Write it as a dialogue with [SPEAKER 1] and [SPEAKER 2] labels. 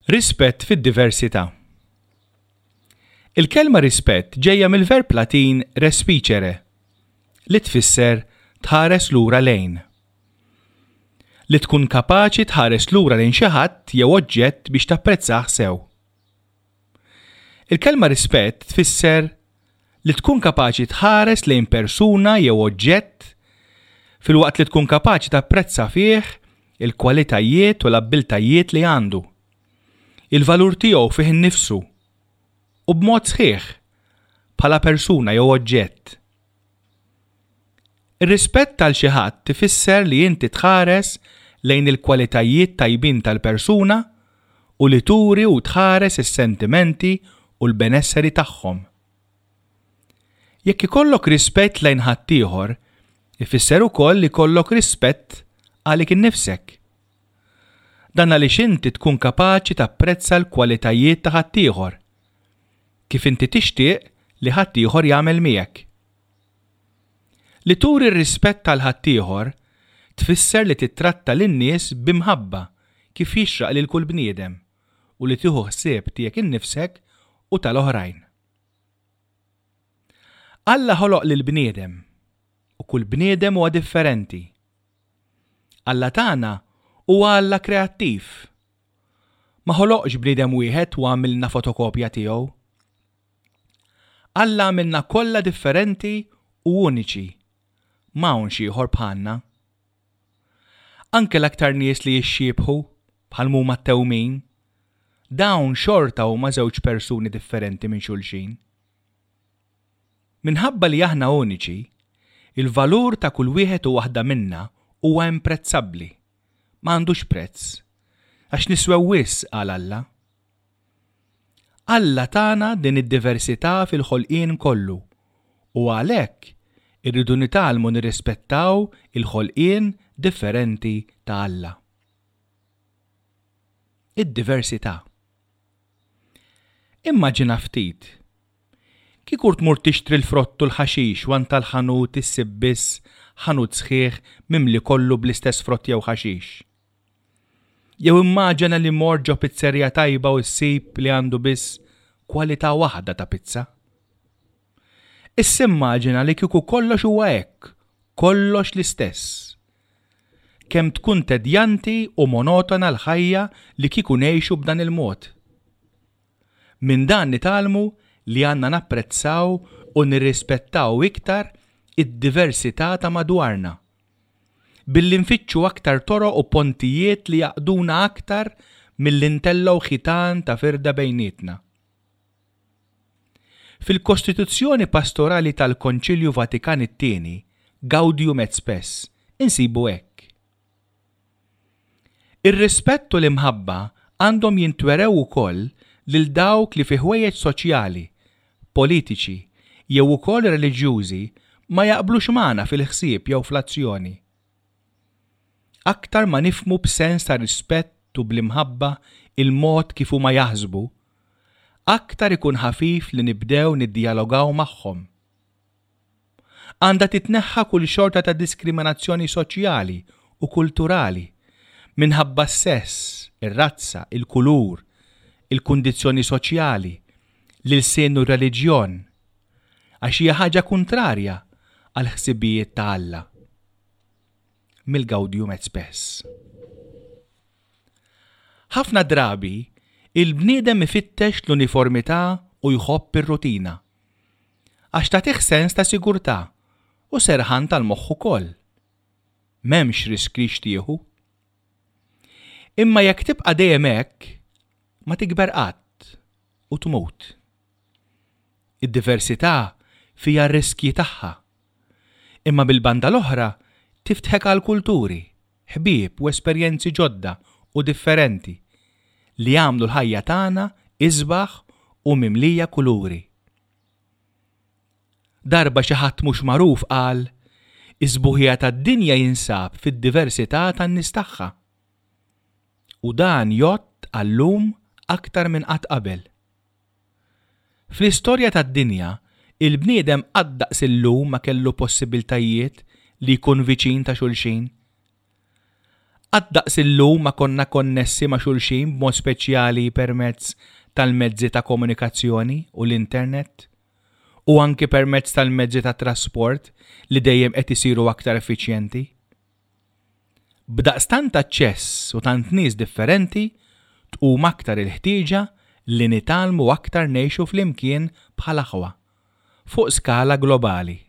[SPEAKER 1] Rispett fid-diversità. Il-kelma rispett ġejja mill-verb Latin respicere, li tfisser tħares lura lejn. Li tkun kapaċi tħares lura lejn xi ħadd jew oġġett biex tapprezzah sew. Il-kelma rispett tfisser li tkun kapaċi tħares lejn persuna jew oġġett filwaqt li tkun kapaċi tapprezza fih il-kwalitajiet u l-abbiltajiet li għandu, il-valur tiegħu fih innifsu u b'mod sħiħ bħala persuna jew oġġett. Ir-rispett għal xi ħadd ifisser li inti tħares lejn il-kwalitajiet tajbin tal-persuna u li turi u tħares is-sentimenti u l-benesseri tagħhom. Jekk ikollok rispett lejn ħaddieħor, ifisser ukoll li jkollok rispett għalik innifsek. Dan għaliex inti tkun kapaċi tapprezza l-kwalitajiet ta' ħaddieħor, kif inti tixtieq li ħaddieħor jagħmel miegħek. Li turi r-rispett għal ħaddieħor tfisser li tittratta lin-nies b'imħabba kif jixraq lil kull bniedem u li tieħu ħsieb tiegħek innifsek u tal-oħrajn. Alla ħoloq lill-bniedem u kull bniedem huwa differenti. Alla tagħna huwa Alla kreattiv. Ma ħoloqx bniedem wieħed u għamilna fotokopja tiegħu. Alla għamilna kollha differenti u uniċi. M'hawnx ieħor bħalna. Anke l-aktar nies li jixxiebħu, bħal m'huma t-tewmin, dawn xorta huma żewġ persuni differenti minn xulxin. Minħabba li aħna uniċi, il-valur ta' kull wieħed u waħda minna huwa imprezzabbli, ma għandux prezz, għax niswew wisq għal Alla. Alla tana din id-diversità fil-ħolqien kollu u għalhekk irridu nitgħallmu nirrispettaw il-ħolqien differenti ta' Alla. Id-diversità. Immaġina ftit. Kieku tmur tixtri l-frott u l-ħaxix u għand tal-ħanut issib biss ħanut sħiħ mimli kollu bl-istess frott jew ħaxix. Jew immaġina li mort ġo pizzerija tajba u ssib li għandu biss kwalità waħda ta' pizza. Issa immaġina li kieku kollox huwa hekk, kollox l-istess. Kemm tkun tedjanti u monotona l-ħajja li kieku ngħixu b'dan il-mod. Minn dan nitgħallmu li għandna napprezzaw u nirrispettaw iktar id-diversità ta' madwarna. Billi nfittxu aktar toroq u pontijiet li jgħaqqduna aktar milli ntellgħu ħitan ta' firda bejnietna. Fil-Kostituzzjoni Pastorali tal-Konċilju Vatikan it-Tieni, Gaudium et Spes, insibu hekk. Ir-rispett u l-imħabba għandhom jintwerew ukoll lil dawk li fi ħwejjeġ soċjali, politiċi jew ukoll reliġjużi ma jaqblux magħna fil-ħsieb jew fl-azzjoni. Aktar ma nifhmu b'sens ta' rispett u bl-imħabba il-mod kif huma jaħsbu, aktar ikun ħafif li nibdew niddjalogaw magħhom. Għandha titneħħa kull xorta ta' diskriminazzjoni soċjali u kulturali minħabba s-sess, ir-razza, il-kulur, il-kundizzjoni soċjali, l-ilsien u r-reliġjon, għax hija ħaġa kuntrarja għall-ħsibijiet ta' Alla. Mill-Gaudium et Spes. Ħafna drabi, il-bniedem ifittex l-uniformità u jħobb ir-rutina. Għax tagħtih sens ta' sigurtà u serħan tal-moħħ ukoll. M'hemmx riskji x'tieħu. Imma jekk tibqa' dejjem hekk, ma tikber qatt u tmut. Id-diversità fiha r-riskji tagħha. Imma mill-banda l-oħra tiftħek għal kulturi, ħbieb u esperjenzi ġodda u differenti li jagħmlu l-ħajja tagħna isbaħ u mimlija kuluri. Darba xi ħadd mhux magħruf qal, Is-sbuħija tad-dinja jinsab fid-diversità tan-nies tagħha. U dan jgħodd għal-lum aktar minn qatt qabel. Fl-istorja tad-dinja, il-bniedem qatt daqs illum ma kellu possibiltajiet li jkun viċin ta' xulxin. Qatt daqs illum ma konna konnessi ma' xulxin b'mod speċjali permezz tal-mezzi ta' komunikazzjoni u l-internet, u anki permezz tal-mezzi ta' trasport li dejjem qed isiru aktar effiċjenti. B'daqstant aċċess u tant nies differenti, tqum aktar il-ħtieġa li nitgħallmu aktar ngħixu flimkien bħal aħwa, fuq skala globali.